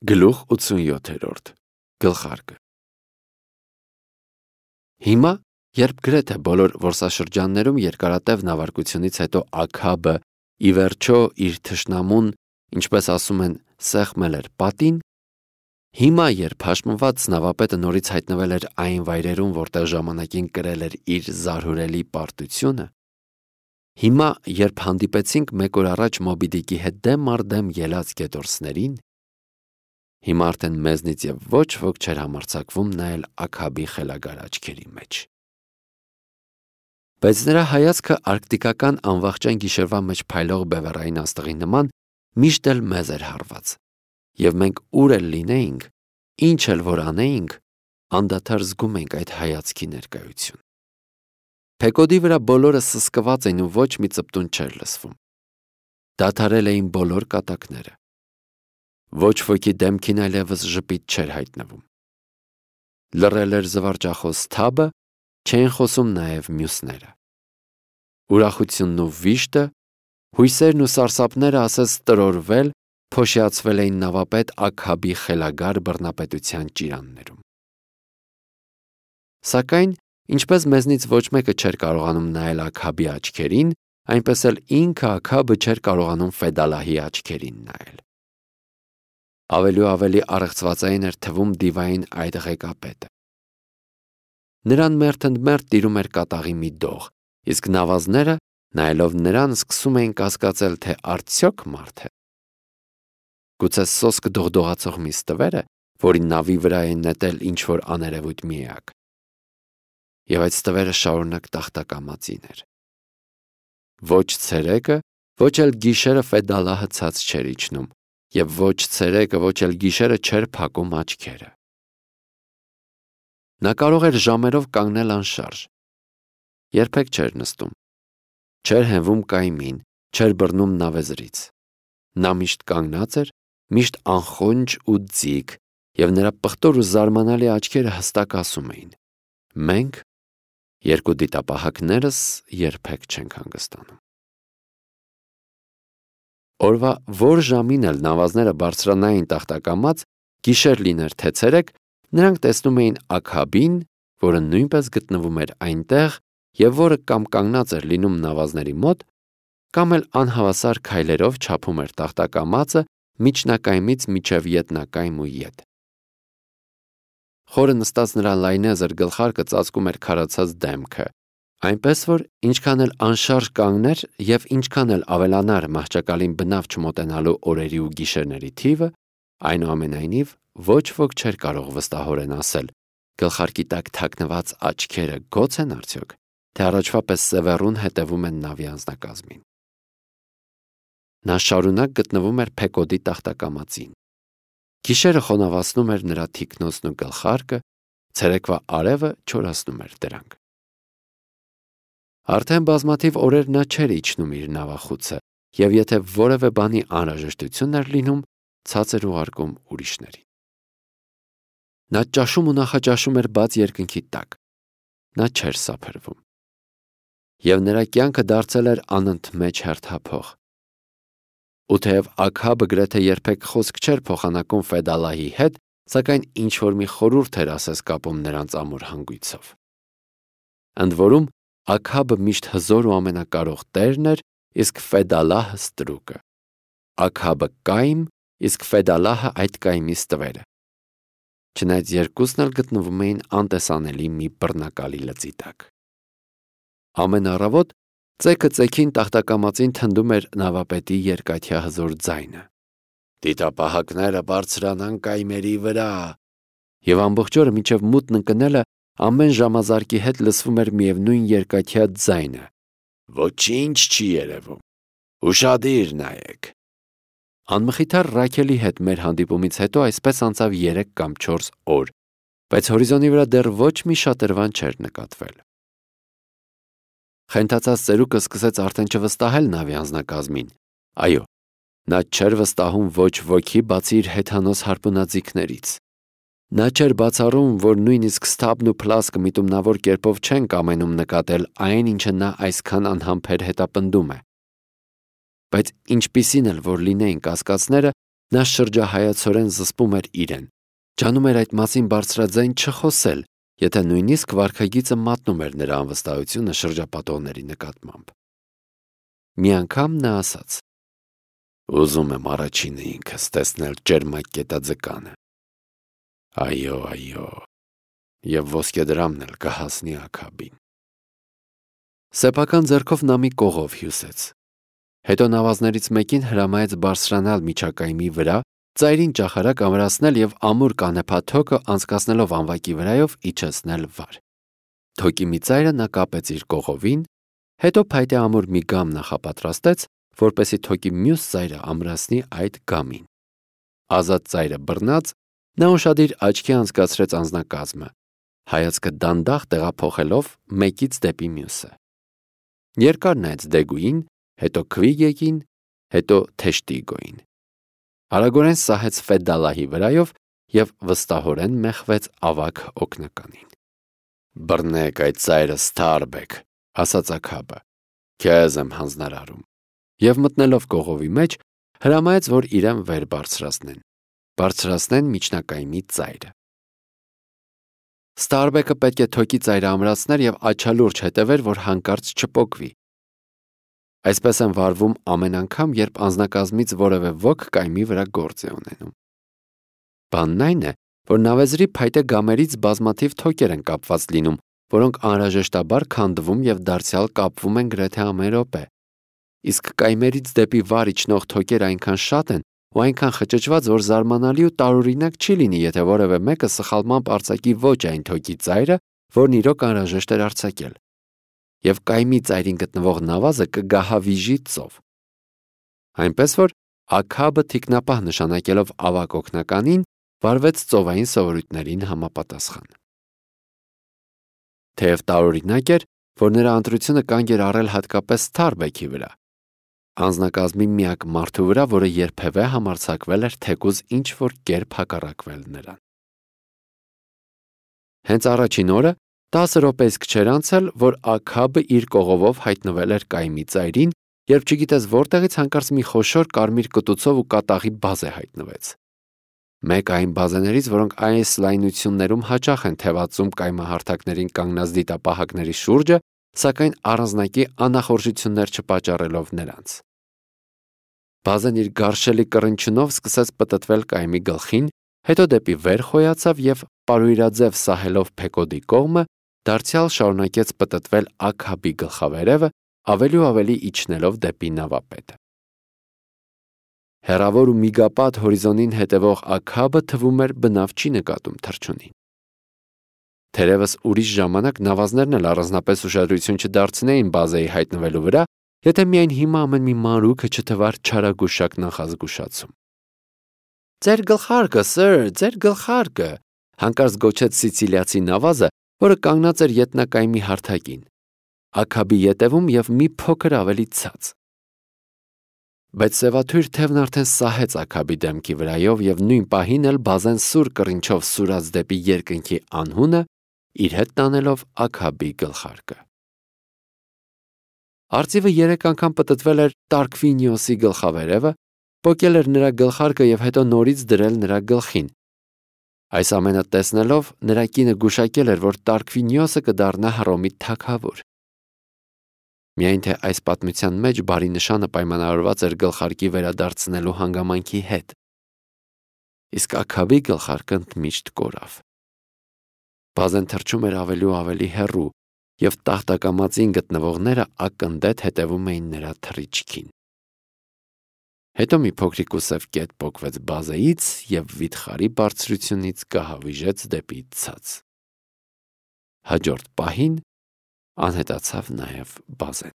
Գլուխ 87 Գլխարկը Հիմա, երբ գրեթե բոլոր որսաշրջաններում երկարատև նավարկությունից հետո Աքաբը ի վերջո իր թշնամուն, ինչպես ասում են, սեղմել էր պատին, հիմա, երբ հաշմված նավապետը նորից հայտնվել էր այն վայրերում, որտեղ ժամանակին կրել էր իր զարհուրելի պարտությունը, հիմա, երբ հանդիպեցինք մեկ օր առաջ Մոբի Դիկի հետ դեմ առ դեմ ելած գետորսներին, հիմա արդեն մեզնից և ոչ ոք չէր համարձակվում նայել Աքաբի խելագար աչքերի մեջ։ Բայց նրա հայացքը արկտիկական անվախճան գիշերվա մեջ փայլող բևեռային աստղի նման միշտ էլ մեզ էր հարված, և մենք ուր էլ լինեինք, ինչ էլ որ անեինք, անդադար զգում ենք այդ հայացքի ներկայություն։ Փեկոդի վրա բոլորը սսկված էին ու ոչ մի ծպտուն չէր լսվում։ Դադարել էին բոլոր կատակները։ Ոչ ոքի դեմքին այլևս ժպիտ չէր հայտնվում։ Լռել էր զվարճախոս թաբը, չէին խոսում նաև մյուսները։ Ուրախությունն ու վիշտը, հույսերն ու սարսափները ասես տրորվել, փոշիացվել էին նավապետ Աքաբի խելագար բռնապետության ճիրաններում։ Սակայն, ինչպես մեզնից ոչ մեկը չէր կարողանում նայել Աքաբի աչքերին, այնպես էլ ինքը Աքաբը չէր կարողանում Ֆեդալահի աչքերին նայել։ Ավելի ու ավելի առեղծվածային էր թվում դիվային այդ ղեկապետը։ Նրան մերթընդմերթ տիրում էր կատաղի մի դող, իսկ նավազները, նայելով նրան, սկսում էին կասկածել, թե արդյոք մարդ է։ Գուցե սոսկ դողդողացող մի ստվեր է, որի նավի վրա է նետել ինչ-որ աներևույթ մի էակ։ Եվ այդ ստվերը շարունակ տախտակամածին էր։ Ոչ ցերեկը, ոչ էլ գիշերը Ֆեդալահը ցած չէր իջնում, և ոչ ցերեկը, ոչ էլ գիշերը չէր փակում աչքերը։ Նա կարող էր ժամերով կանգնել անշարժ։ Երբեք չէր նստում։ Չէր հենվում կայմին, չէր բռնում նավեզրից։ Նա միշտ կանգնած էր, միշտ անխոնջ ու ձիգ, և նրա պղտոր ու զարմանալի աչքերը հստակ ասում էին. մենք, երկու դիտապահակներս, երբեք չենք հանգստանում։ Օրվա որ ժամին էլ նավազները բարձրանային տախտակամած, գիշեր լիներ թե ցերեկ, նրանք տեսնում էին Աքաբին, որը նույնպես գտնվում էր այնտեղ և որը կամ կանգնած էր լինում նավազների մոտ, կամ էլ անհավասար քայլերով չափում էր տախտակամածը միջնակայմից մինչև ետնակայմ ու ետ։ Խորը նստած նրա լայնեզր գլխարկը ծածկում էր քարացած դեմքը, այնպես որ ինչքան էլ անշարժ կանգներ և ինչքան էլ ավելանար մահճակալին բնավ չմոտենալու օրերի ու գիշերների թիվը, այնուամենայնիվ ոչ ոք չէր կարող վստահորեն ասել, գլխարկի տակ թաքնված աչքերը գոց են արդյոք, թե առաջվա պես սևեռուն հետևում են նավի անձնակազմին։ Նա շարունակ գտնվում էր Փեկոդի տախտակամածին։ Գիշերը խոնավացնում էր նրա թիկնոցն ու գլխարկը, ցերեկվա արևը չորացնում էր դրանք։ Արդեն բազմաթիվ օրեր նա չէր իջնում իր նավախուցը, և եթե որևէ բանի անհրաժեշտություն էր լինում, ցած էր ուղարկում ուրիշներին։ Նա ճաշում ու նախաճաշում էր բաց երկնքի տակ։ Նա չէր սափրվում։ Եվ նրա կյանքը դարձել էր անընդմեջ հերթափող։ Ու թեև Աքաբը գրեթե երբեք խոսք չէր փոխանակում Ֆեդալահի հետ, սակայն ինչ-որ մի խորհուրդ էր ասես կապում նրանց ամուր հանգույցով։ Ընդ որում, Աքաբը միշտ հզոր ու ամենակարող տերն էր, իսկ Ֆեդալահը ստրուկը։ Աքաբը կայմ, իսկ Ֆեդալահը այդ կայմի ստվերը։ Չնայած երկուսն էլ գտնվում էին անտեսանելի մի բռնակալի լծի տակ։ Ամեն առավոտ ծեքը ծեքին տախտակամածին թնդում էր նավապետի երկաթյա հզոր ձայնը. «Դիտապահակները բարձրանան կայմերի վրա», և ամբողջ օրը մինչև մութն ընկնելը ամեն ժամազարկի հետ լսվում էր միևնույն երկաթյա ձայնը. «Ոչինչ չի երևում, ուշադիր նայեք»։ Անմխիթար Ռաքելի հետ մեր հանդիպումից հետո այսպես անցավ 3 կամ 4 օր, բայց հորիզոնի վրա դեռ ոչ մի շատրվան չէր նկատվել։ Խենթացած ծերուկը սկսեց արդեն չվստահել նավի անձնակազմին։ Այո, նա չէր վստահում ոչ ոքի, բացի իր հեթանոս հարպունաձիգներից։ Նա չէր բացառում, որ նույնիսկ Սթաբն ու Փլասկը միտումնավոր կերպով չեն կամենում նկատել այն, ինչը նա այսքան անհամբեր հետապնդում է։ Բայց ինչպիսին էլ որ լինեին կասկածները, Նա շրջահայացորեն զսպում էր իրեն, ջանում էր այդ մասին բարձրաձայն չխոսել, եթե նույնիսկ վարքագիծը մատնում էր նրա անվստահությունը շրջապատողների նկատմամբ։ Մի անգամ նա ասաց. «Ուզում եմ առաջինը ինքս տեսնել ճերմակ կետաձկանը։ Այո, եւ ոսկեդրամն էլ կհասնի Աքաբին»։ Սեփական ձեռքով նա մի կողով հյուսեց։ Հետո նավազներից մեկին հրամայեց բարձրանալ միջակայմի վրա, ծայրին ճախարակ ամրացնել եւ ամուր կանեփա թոկը անցկացնելով անվակի վրայով իջեցնել վար։ Թոկի մի ծայրը նա կապեց իր կողովին, հետո փայտե ամուր մի գամ նախապատրաստեց, որպեսզի թոկի մյուս ծայրը ամրացնի այդ գամին։ Ազատ ծայրը բռնած, նա ուշադիր աչքի անցկացրեց անձնակազմը, հայացքը դանդաղ տեղափոխելով մեկից դեպի մյուսը։ Երկար նայեց Դեգուին, հետո Քվիգեկին, հետո Թեշտիգոին։ Արագորեն սահեց Ֆեդալահի վրայով եւ վստահորեն մեխվեց ավագ օգնականին։ «Բռնեք այդ ծայրը, Սթարբեք», ասաց Աքաբը, «քեզ եմ հանձնարարում», եւ մտնելով կողովի մեջ հրամայեց, որ իրեն վեր բարձրացնեն միջնակայմի ծայրը։ Ստարբեկը պետք է թոկի ծայրը ամրացներ եւ աչալուրջ հետևեր, որ հանկարծ չպոկվի։ Այսպես են վարվում ամեն անգամ, երբ անձնակազմից որևէ ոք կայմի վրա գործ է ունենում։ Բանն այն է, որ նավեզրի փայտե գամերից բազմաթիվ թոկեր են կապված լինում, որոնք անհրաժեշտաբար քանդվում եւ դարձյալ կապվում են գրեթե ամեն րոպե։ Իսկ կայմերից դեպի վար իջնող թոկերը այնքան շատ են ու այնքան խճճված, որ զարմանալի ու տարօրինակ չի լինի, եթե որևէ մեկը սխալմամբ արձակի ոչ այն թոկի ծայրը, որն իրոք անհրաժեշտ էր արձակել։ Եվ կայմի ծայրին գտնվող նավազը կգահավիժի ծով։ Այնպես որ Աքաբը թիկնապահ նշանակելով ավագ օգնականին, վարվեց ծովային սովորույթներին համապատասխան։ Թեև տարօրինակ էր, որ նրա ընտրությունը կանգ էր առել հատկապես Սթարբեքի վրա, անձնակազմի միակ մարդու վրա, որը երբևէ համարձակվել էր թեկուզ ինչ-որ կերպ հակառակվել նրան։ Հենց առաջին օրը 10 րոպեիսկ չէր անցել, որ Աքաբը իր կողովով հայտնվել էր կայմի ծայրին, երբ չգիտես որտեղից հանկարծ մի խոշոր կարմիր կտուցով ու կատաղի բազե հայտնվեց։ Մեկ այն բազեներից, որոնք այս լայնություններում հաճախ են թևածում կայմահարթակներին կանգնած դիտապահակների շուրջը, սակայն առանձնակի անախորժություններ չպատճառելով նրանց։ Բազեն իր գարշելի կռնչյունով սկսեց պտտվել կայմի գլխին, հետո դեպի վեր խոյացավ եւ պարույրաձև սահելով Փեկոդի կողմը, դարձյալ շարունակեց պտտվել Աքաբի գլխավերևը, ավելի ու ավելի իջնելով դեպի նավապետը։ Հեռավոր ու միգապատ հորիզոնին հետևող Աքաբը թվում էր բնավ չի նկատում թռչունին։ Թերևս ուրիշ ժամանակ նավազներն էլ առանձնապես ուշադրություն չդարձնեին բազեի հայտնվելու վրա, եթե միայն հիմա ամեն մի մանրուքը չթվար չարագուշակ նախազգուշացում։ «Ձեր գլխարկը, սըր, ձեր գլխարկը», հանկարծ գոչեց սիցիլիացի նավազը, որը կանգնած էր ետնակայմի հարթակին, Աքաբի ետևում եւ մի փոքր ավելի ցած։ Բայց սևաթույր թևն արդեն սահեց Աքաբի դեմքի վրայով եւ նույն պահին էլ բազեն սուր կռինչով սուրաց դեպի երկնքի անհունը, իր հետ տանելով Աքաբի գլխարկը։ Արծիվը 3 անգամ պտտվել էր Տարկվինիոսի գլխավերևը, պոկել էր նրա գլխարկը եւ հետո նորից դրել նրա գլխին։ Այս ամենը տեսնելով նրա կինը գուշակել էր, որ Տարկվինիոսը կդառնա Հռոմի թագավոր։ Միայն թե այս պատմության մեջ բարի նշանը պայմանավորված էր գլխարկի վերադարձնելու հանգամանքի հետ։ Իսկ Աքաբի գլխարկը ընդմիշտ կորավ։ Բազեն թռչում էր ավելի ու ավելի հեռու, եւ տախտակամածին գտնվողները ակնդետ հետևում էին նրա թռիչքին։ Հետո մի փոքրիկ ու սև կետ պոկվեց բազեից եւ վիթխարի բարձրությունից կահավիժեց դեպի ցած։ Հաջորդ պահին անհետացավ նաեւ բազեն։